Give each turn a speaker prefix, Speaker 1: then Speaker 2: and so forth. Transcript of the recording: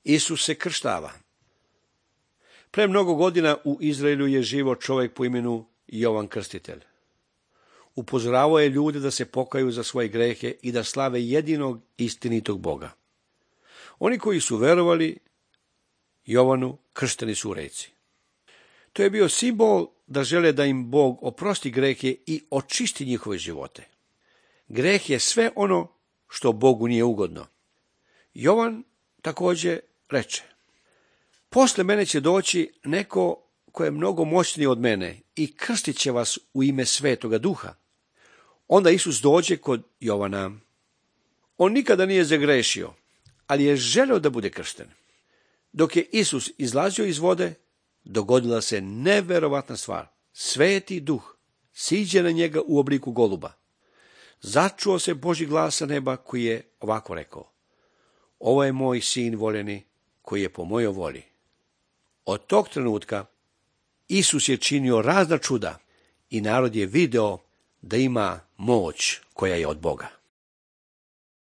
Speaker 1: Isus se krštava. Pre mnogo godina u Izraelu je živo čovjek po imenu Jovan Krstitelj. Upozoravao je ljude da se pokaju za svoje grehe i da slave jedinog istinitog Boga. Oni koji su verovali Jovanu kršteni su u reci. To je bio simbol da žele da im Bog oprosti grehe i očisti njihove živote. Greh je sve ono što Bogu nije ugodno. Jovan također reče: posle mene će doći neko ko je mnogo moćniji od mene i krstit će vas u ime Svetoga Duha. Onda Isus dođe kod Jovana. On nikada nije zagrešio, ali je želeo da bude kršten. Dok je Isus izlazio iz vode, dogodila se neverovatna stvar. Sveti Duh siđe na njega u obliku goluba. Začuo se Božji glas sa neba koji je ovako rekao: ovo je moj sin voljeni koji je po mojoj volji. Od tog trenutka Isus je činio razna čuda i narod je video da ima moć koja je od Boga.